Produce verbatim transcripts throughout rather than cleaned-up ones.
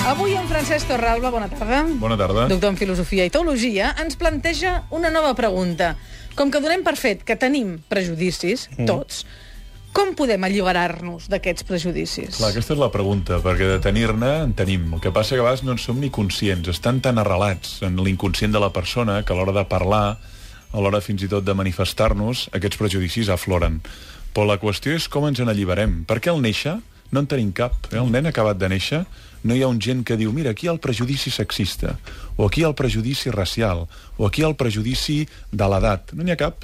Avui en Francesc Torralba, bona tarda. Bona tarda. Doctor en Filosofia i Teologia, ens planteja una nova pregunta. Com que donem per fet que tenim prejudicis, mm. tots, com podem alliberar-nos d'aquests prejudicis? Clar, aquesta és la pregunta, perquè de tenir-ne en tenim. El que passa que a vegades no en som ni conscients. Estan tan arrelats en l'inconscient de la persona que a l'hora de parlar, a l'hora fins i tot de manifestar-nos, aquests prejudicis afloren. Però la qüestió és com ens en alliberem. Perquè al néixer no en tenim cap. Eh? El nen acabat de néixer, no hi ha un gent que diu mira, aquí hi ha el prejudici sexista, o aquí hi ha el prejudici racial, o aquí hi ha el prejudici de l'edat. No n'hi ha cap.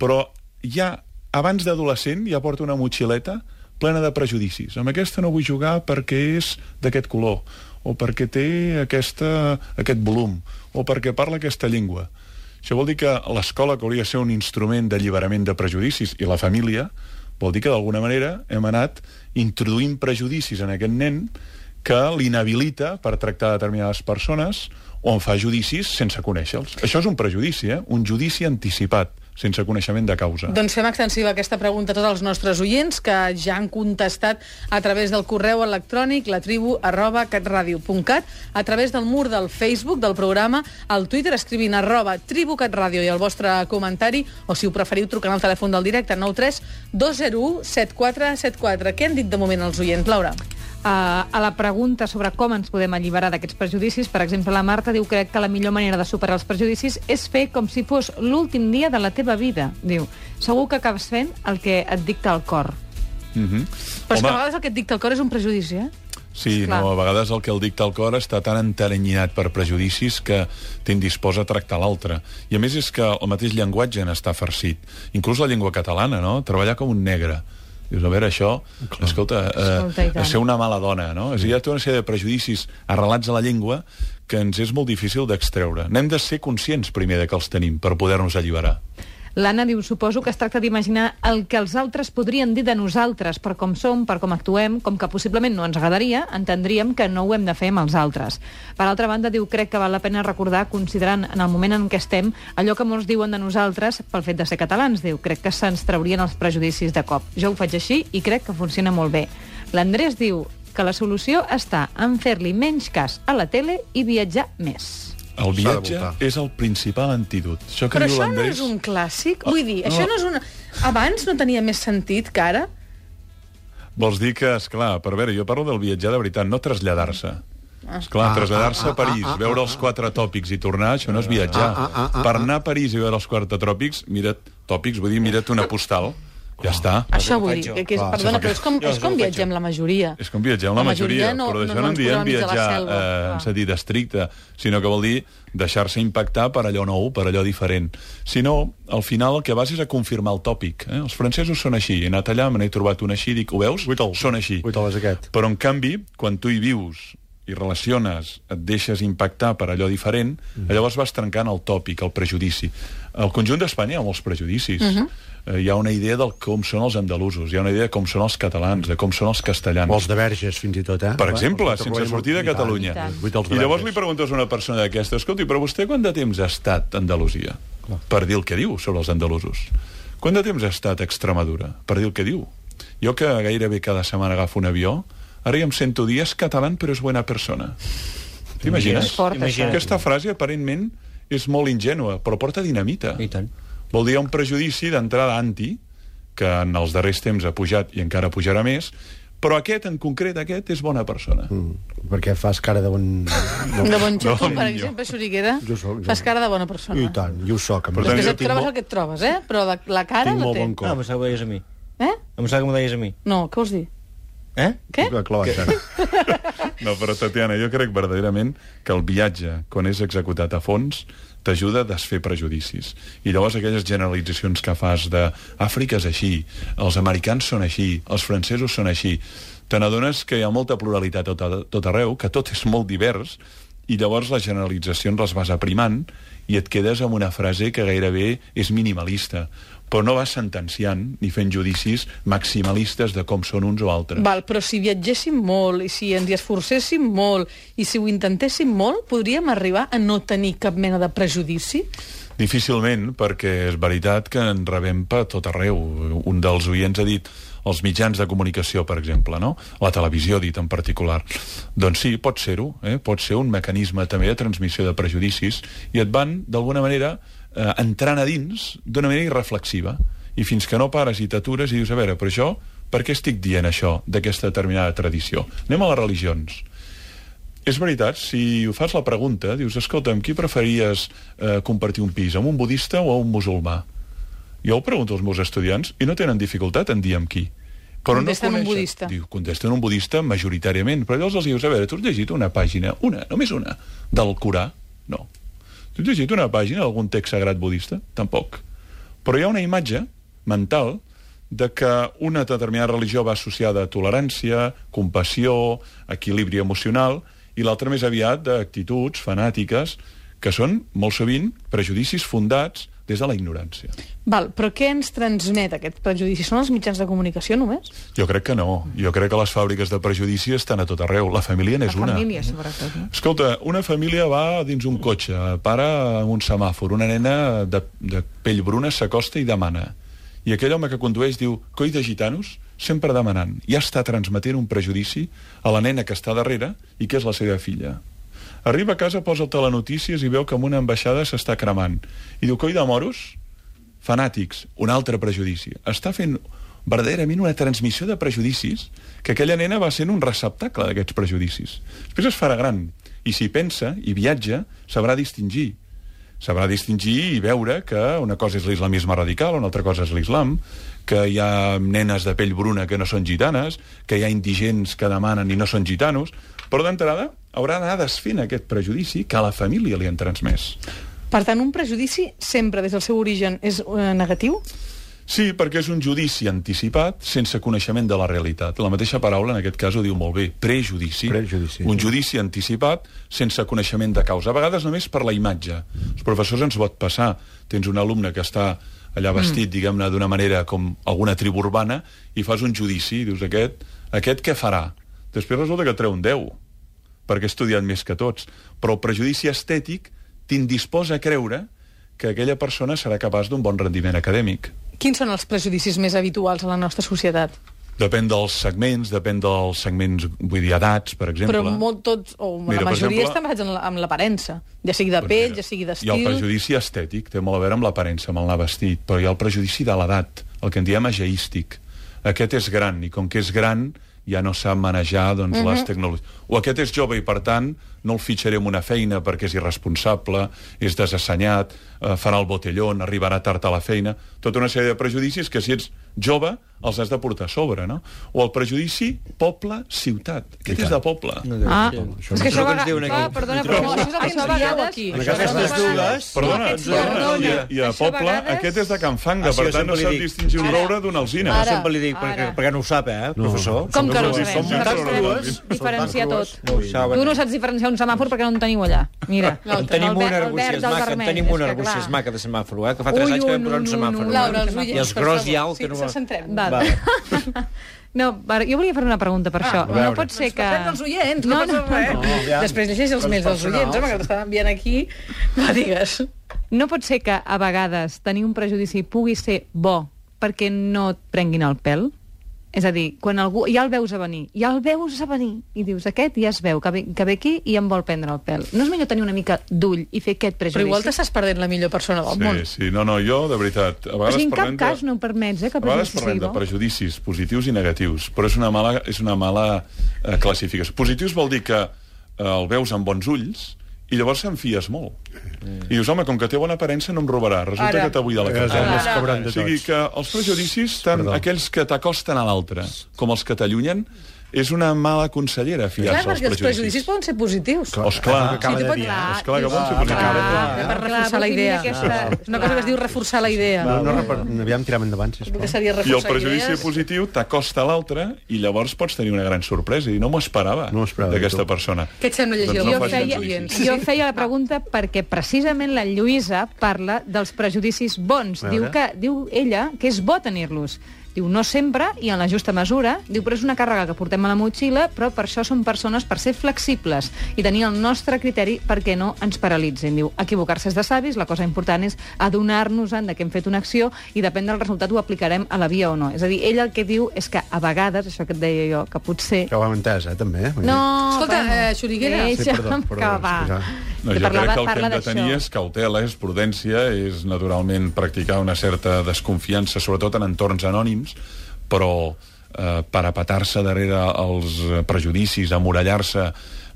Però ja, abans d'adolescent, ja porta una motxileta plena de prejudicis. Amb aquesta no vull jugar perquè és d'aquest color, o perquè té aquesta, aquest volum, o perquè parla aquesta llengua. Això vol dir que l'escola, que hauria de ser un instrument d'alliberament de prejudicis, i la família, vol dir que d'alguna manera hem anat introduint prejudicis en aquest nen que l'inhabilita per tractar determinades persones o en fa judicis sense conèixer-los. Això és un prejudici, eh? Un judici anticipat, sense coneixement de causa. Doncs fem extensiva aquesta pregunta a tots els nostres oients que ja han contestat a través del correu electrònic latribu arroba catradio punt cat, a través del mur del Facebook del programa, al Twitter escrivint arroba tribucatradio i el vostre comentari, o si ho preferiu trucant al telèfon del directe nou tres dos zero u set quatre set quatre. Què han dit de moment els oients, Laura? Uh, a la pregunta sobre com ens podem alliberar d'aquests prejudicis, per exemple, la Marta diu crec que la millor manera de superar els prejudicis és fer com si fos l'últim dia de la teva vida. Diu, segur que acabes fent el que et dicta el cor. Mm-hmm. Però és que a vegades el que et dicta el cor és un prejudici, eh? Sí, no, a vegades el que el dicta el cor està tan enteranyinat per prejudicis que t'indisposa a tractar l'altre. I a més és que el mateix llenguatge n'està farcit. Inclús la llengua catalana, no? Treballar com un negre. Dius, a veure, això, clar. escolta, eh, escolta ser una mala dona, no? És a dir, hi ha tota una sèrie de prejudicis arrelats a la llengua que ens és molt difícil d'extreure. N'hem de ser conscients primer de que els tenim per poder-nos alliberar. L'Anna diu, suposo que es tracta d'imaginar el que els altres podrien dir de nosaltres, per com som, per com actuem, com que possiblement no ens agradaria, entendríem que no ho hem de fer amb els altres. Per altra banda, diu, crec que val la pena recordar, considerant en el moment en què estem, allò que molts diuen de nosaltres pel fet de ser catalans. Diu, crec que se'ns traurien els prejudicis de cop. Jo ho faig així i crec que funciona molt bé. L'Andrés diu que la solució està en fer-li menys cas a la tele i viatjar més. El viatge és el principal antídot. Això que Però diu això no l'Andrés... és un clàssic? Oh, Vull dir, no. això no és una... Abans no tenia més sentit que ara? Vols dir que, esclar, per veure, jo parlo del viatjar de veritat, no traslladar-se. Esclar, traslladar-se a París, veure els quatre tòpics i tornar, això no és viatjar. Per anar a París i veure els quatre tòpics, mira't, tòpics, vull dir, mira't una postal, ja està. Això vull dir, que és, perdona, però és com, és com viatgem la majoria. És com viatgem la majoria, no, però d'això no, no no en diem ens posem viatjar enmig de la eh, en sentit estricte, sinó que vol dir deixar-se impactar per allò nou, per allò diferent. Si no, al final el que vas és a confirmar el tòpic. Eh? Els francesos són així, he anat allà, me n'he trobat un així, dic, ho veus? Són així. Però en canvi, quan tu hi vius i relaciones, et deixes impactar per allò diferent, mm. llavors vas trencant el tòpic, el prejudici. Al conjunt d'Espanya hi ha molts prejudicis. Uh -huh. eh, hi ha una idea de com són els andalusos, hi ha una idea de com són els catalans, de com són els castellans. O els de Verges, fins i tot, eh? Per exemple, bueno, sense sortir de Catalunya. I, tant, I llavors li preguntes a una persona d'aquesta, escolti, però vostè quant de temps ha estat a Andalusia? Clar. Per dir el que diu sobre els andalusos. Quant de temps ha estat a Extremadura? Per dir el que diu. Jo que gairebé cada setmana agafo un avió, ara ja em sento dir, és català però és bona persona. T'imagines? Aquesta frase, aparentment, és molt ingènua, però porta dinamita. I tant. Vol dir un prejudici d'entrada anti, que en els darrers temps ha pujat i encara pujarà més, però aquest, en concret, aquest, és bona persona. Mm, perquè fas cara de bon... No. De bon xato, per exemple, Xuriguera, fas cara de bona persona. I tant, jo ho soc. Després et trobes el que et trobes, eh? Però la, la cara tinc la molt té. bon cor. Ah, em pensava que m'ho deies a mi. Eh? Em pensava que m'ho deies a mi. No, què vols dir? Eh? Què? No, però Tatiana, jo crec verdaderament que el viatge, quan és executat a fons, t'ajuda a desfer prejudicis. I llavors aquelles generalitzacions que fas de Àfrica és així, els americans són així, els francesos són així, te n'adones que hi ha molta pluralitat a tot, tot arreu, que tot és molt divers, i llavors les generalitzacions les vas aprimant i et quedes amb una frase que gairebé és minimalista, però no vas sentenciant ni fent judicis maximalistes de com són uns o altres. Val, però si viatgéssim molt i si ens hi esforcéssim molt i si ho intentéssim molt, podríem arribar a no tenir cap mena de prejudici? Difícilment, perquè és veritat que en rebem per tot arreu. Un dels oients ha dit els mitjans de comunicació, per exemple, no? La televisió, dit en particular. Doncs sí, pot ser-ho, eh? Pot ser un mecanisme també de transmissió de prejudicis i et van, d'alguna manera, eh, entrant a dins d'una manera irreflexiva. I fins que no pares i t'atures i dius, a veure, però això, per què estic dient això d'aquesta determinada tradició? Anem a les religions. És veritat, si ho fas la pregunta, dius, escolta, amb qui preferiries eh, compartir un pis, amb un budista o amb un musulmà? Jo ho pregunto als meus estudiants i no tenen dificultat en dir amb qui. Però contesten no un budista. Diu, contesten un budista majoritàriament, però llavors els dius, a veure, tu has llegit una pàgina, una, només una, del Corà? No. Tu has llegit una pàgina d'algun text sagrat budista? Tampoc. Però hi ha una imatge mental de que una determinada religió va associada a tolerància, compassió, equilibri emocional, i l'altra més aviat d'actituds fanàtiques que són, molt sovint, prejudicis fundats des de la ignorància. Val, però què ens transmet aquest prejudici? Són els mitjans de comunicació només? Jo crec que no. Jo crec que les fàbriques de prejudici estan a tot arreu. La família n'és una. La família, sobretot. No? Escolta, una família va dins un cotxe, para en un semàfor, una nena de, de pell bruna s'acosta i demana. I aquell home que condueix diu, coi de gitanos, sempre demanant. Ja està transmetent un prejudici a la nena que està darrere i que és la seva filla. Arriba a casa, posa el telenotícies i veu que amb una ambaixada s'està cremant. I diu, coi de moros, fanàtics, un altre prejudici. Està fent verdaderament una transmissió de prejudicis que aquella nena va sent un receptacle d'aquests prejudicis. Després es farà gran i si pensa i viatja, sabrà distingir. Sabrà distingir i veure que una cosa és l'islamisme radical, una altra cosa és l'islam, que hi ha nenes de pell bruna que no són gitanes, que hi ha indigents que demanen i no són gitanos, però d'entrada haurà d'anar desfent aquest prejudici que a la família li han transmès. Per tant, un prejudici sempre des del seu origen és eh, negatiu? Sí, perquè és un judici anticipat sense coneixement de la realitat. La mateixa paraula, en aquest cas, ho diu molt bé. Prejudici. Prejudici. Un judici anticipat sense coneixement de causa. A vegades només per la imatge. Els professors ens pot passar. Tens un alumne que està allà vestit, mm. diguem-ne, d'una manera com alguna tribu urbana, i fas un judici, i dius, aquest, aquest què farà? Després resulta que treu un deu, perquè ha estudiat més que tots. Però el prejudici estètic t'indisposa a creure que aquella persona serà capaç d'un bon rendiment acadèmic. Quins són els prejudicis més habituals a la nostra societat? Depèn dels segments, depèn dels segments, vull dir, edats, per exemple. Però molt tots, o Mira, la majoria exemple, estan basats en la- amb l'aparença. Ja sigui de Doncs pell, mira, ja sigui Hi ha d'estil... el prejudici estètic, té molt a veure amb l'aparença, amb el anar vestit, però hi ha el prejudici de l'edat, el que en diem ageístic. Aquest és gran, i com que és gran, ja no sap manejar doncs, Mhm. les tecnologies. O aquest és jove i, per tant, no el fitxaré en una feina perquè és irresponsable, és desassenyat, eh, farà el botellón, arribarà tard a la feina... Tota una sèrie de prejudicis que, si ets jove, els has de portar a sobre, no? O el prejudici poble-ciutat. Aquest és de poble. Ah, Això és que això no a ens diuen vegades... aquí. Ah, perdona, Hi però trobes? això, això a vegades... aquí. En aquestes dues... Perdona, Aquests perdona, perdona. i, i a Això a poble, vegades- aquest és de Can Fanga, Ah, sí, per jo tant no sempre li sap dic. distingir un Ara. roure d'una alzina. Jo Ara. sempre li dic, perquè, Ara. perquè no ho sap, eh, professor? Com que no ho Com sabem? que No no ho sabem sabem? diferenciar tot. No ho saben. Tu no saps diferenciar un semàfor perquè no en teniu allà. Mira, En tenim el ver- una el arbúcies verd del maca, en vermell, tenim és una que, arbúcies clar. maca de semàfor, eh, que fa tres Ui, anys que vam ui, posar un no, no, semàfor. no. eh? Laura, els I oients, els per gros favor. i alt, Sí, que no- se centrem. Val. Va. No, va, jo volia fer una pregunta per això. a No veure. pot ser que... Parlem dels oients, no, No, passa no, res. no. aviam. Després llegeix els Coses mails dels personals. oients, home, que t'estan enviant aquí. Va, digues. No pot ser que a vegades tenir un prejudici pugui ser bo perquè no et prenguin el pèl? És a dir, quan algú ja el veus a venir, ja el veus a venir, i dius, aquest ja es veu, que ve, que ve aquí i em vol prendre el pèl. No és millor tenir una mica d'ull i fer aquest prejudici? Però igual t'estàs perdent la millor persona del món. Sí, sí, no, no, jo, de veritat, a O vegades sigui, en cap parlem cas de... no ho permets, eh, que A vegades prejudici parlem sigui de bo. prejudicis positius i negatius, però és una mala, és una mala eh, classificació. Positius vol dir que eh, el veus amb bons ulls i llavors se'n fies molt. Mm. I dius, home, com que té bona aparença no em robarà. Resulta Ara. que t'ha buidat la Les cartera. armes cobran de O sigui tots. que els prejudicis, tant Perdó. aquells que t'acosten a l'altre com els que t'allunyen, és una mala consellera Clar, fiar-se als perquè els prejudicis prejudicis. poden ser positius. Oh, esclar. Acaba Sí, de tu dir, pots- eh? Esclar que poden ser Clar, positius. clar, per reforçar la perquè idea. mira aquesta- És una cosa que es diu reforçar la idea. No, no, no, aviam, tirem endavant, Que sisplau. seria I el reforçar prejudici idees. positiu t'acosta a l'altre i llavors pots tenir una gran sorpresa. I no m'ho esperava, No m'ho esperava, d'aquesta tu. persona. Què et sembla llegir Doncs el no Jo que facin feia, judicis. jo feia la pregunta perquè precisament la Lluïsa parla dels prejudicis bons. A Diu, veure. que, diu ella que és bo tenir-los, Diu, no sempre i en la justa mesura. Diu, però és una càrrega que portem a la motxilla, però per això som persones per ser flexibles i tenir el nostre criteri perquè no ens paralitzin. Diu, equivocar-se és de savis, la cosa important és adonar-nos-en de que hem fet una acció i depèn del resultat ho aplicarem a la via o no. És a dir, ell el que diu és que a vegades, això que et deia jo, que potser... Que ho hem entès, eh, també. No, Escolta, bueno, eh, Xuriguera. deixa'm Sí, perdó, perdó, que va. és que ja- No, Que jo parlava- crec que el que parla hem de tenir d'això. és cautela, és prudència, és naturalment practicar una certa desconfiança, sobretot en entorns anònims, però eh, parapetar-se darrere els prejudicis, amurallar-se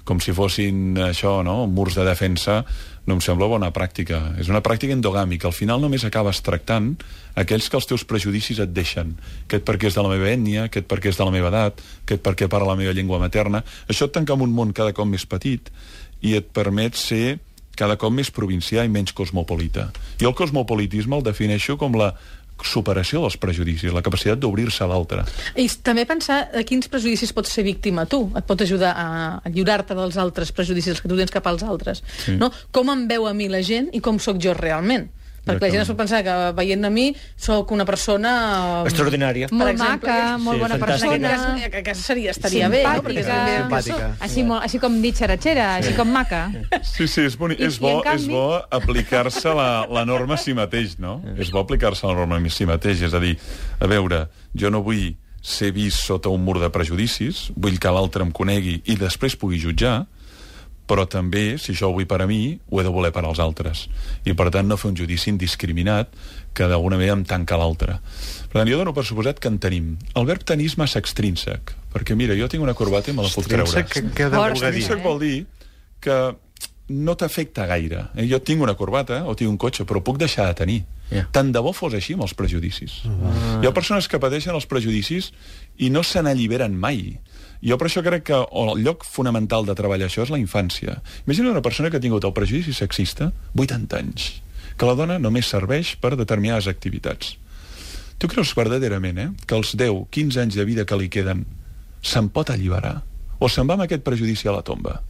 com si fossin això, no? murs de defensa, no em sembla bona pràctica. És una pràctica endogàmica. Al final només acabes tractant aquells que els teus prejudicis et deixen. Aquest perquè és de la meva ètnia, aquest perquè és de la meva edat, aquest perquè parla la meva llengua materna. Això et tanca en un món cada cop més petit i et permet ser cada cop més provincià i menys cosmopolita. Jo el cosmopolitisme el defineixo com la superació dels prejudicis, la capacitat d'obrir-se a l'altre. I també pensar a quins prejudicis pots ser víctima tu. Et pot ajudar a, a lliurar-te dels altres prejudicis que tu tens cap als altres. Sí. No? Com em veu a mi la gent i com sóc jo realment. Perquè la gent es pot pensar que veient a mi sóc una persona... Extraordinària. Per Molt exemple, maca, molt sí, bona fantàstica. persona. Que, que seria, estaria bé, no? Perquè Simpàtica. també- Simpàtica. Així, molt, així com dit xeratxera, així com maca. Sí, sí, és, boni... I- és, i en bo, canvi- és bo aplicar-se la, la norma a si mateix, no? És bo aplicar-se la norma a si mateix, és a dir, a veure, jo no vull ser vist sota un mur de prejudicis, vull que l'altre em conegui i després pugui jutjar, però també, si això ho vull per a mi, ho he de voler per als altres. I, per tant, no fer un judici indiscriminat que d'alguna manera em tanca l'altre. Per tant, jo dono per suposat que en tenim. El verb tenir és massa extrínsec, perquè, mira, jo tinc una corbata i me la puc treure. Extrínsec, què deu Força, voler dir? Extrínsec vol dir que no t'afecta gaire. Eh? Jo tinc una corbata o tinc un cotxe, però puc deixar de tenir. Yeah. Tant de bo fos així amb els prejudicis. Uh. Hi ha persones que pateixen els prejudicis i no se n'alliberen mai. Jo per això crec que el lloc fonamental de treballar això és la infància. Imagina una persona que ha tingut el prejudici sexista vuitanta anys, que la dona només serveix per determinades activitats. Tu creus verdaderament eh, que els deu quinze anys de vida que li queden se'n pot alliberar? O se'n va amb aquest prejudici a la tomba?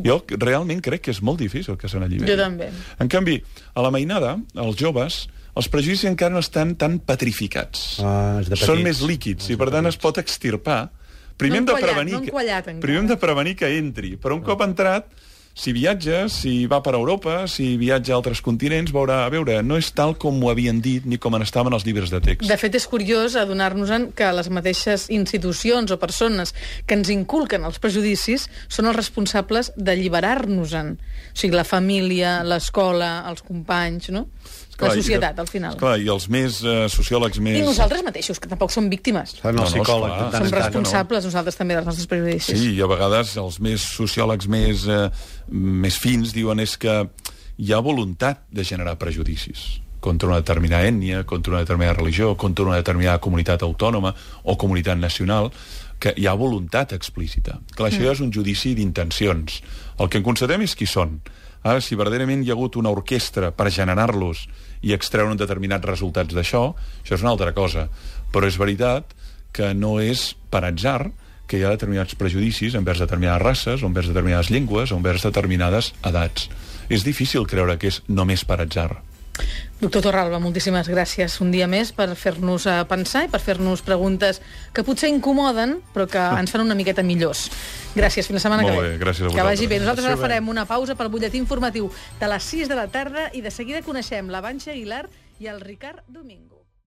Jo realment crec que és molt difícil que se n'alliberi. Jo també. En canvi, a la mainada, els joves, els prejudicis encara no estan tan petrificats. Ah, és de Són petits. més líquids i per tant es pot extirpar. Primer No hem de enquallat, prevenir no que- enquallat encara. primer hem de prevenir que entri, però un cop entrat, si viatja, si va per Europa, si viatja a altres continents, veurà, a veure, no és tal com ho havien dit ni com en estaven els llibres de text. De fet, és curiós adonar-nos-en que les mateixes institucions o persones que ens inculquen els prejudicis són els responsables d'alliberar-nos-en. O sigui, la família, l'escola, els companys, no? La societat, al final. Clar, i els més eh, sociòlegs més... I nosaltres mateixos, que tampoc som víctimes. Fan No, el no, psicòleg. esclar. de tant Som en tant. responsables, nosaltres també, dels nostres prejudicis. Sí, i a vegades els més sociòlegs més, eh, més fins diuen és que hi ha voluntat de generar prejudicis contra una determinada ètnia, contra una determinada religió, contra una determinada comunitat autònoma o comunitat nacional, que hi ha voluntat explícita. Clar, això ja és un judici d'intencions. El que en constatem és qui són. Ara, si verdaderament hi ha hagut una orquestra per generar-los i extreure un determinats resultats d'això, això és una altra cosa. Però és veritat que no és per atzar que hi ha determinats prejudicis envers determinades races, o envers determinades llengües, o envers determinades edats. És difícil creure que és només per atzar. Doctor Torralba, moltíssimes gràcies un dia més per fer-nos eh, pensar i per fer-nos preguntes que potser incomoden, però que ens fan una miqueta millors. Gràcies, fins la setmana Molt que bé, ve. gràcies a Que vagi vosaltres. bé. Nosaltres ara farem una pausa pel butlletí informatiu de les sis de la tarda i de seguida coneixem la Vanxa Aguilar i el Ricard Domingo.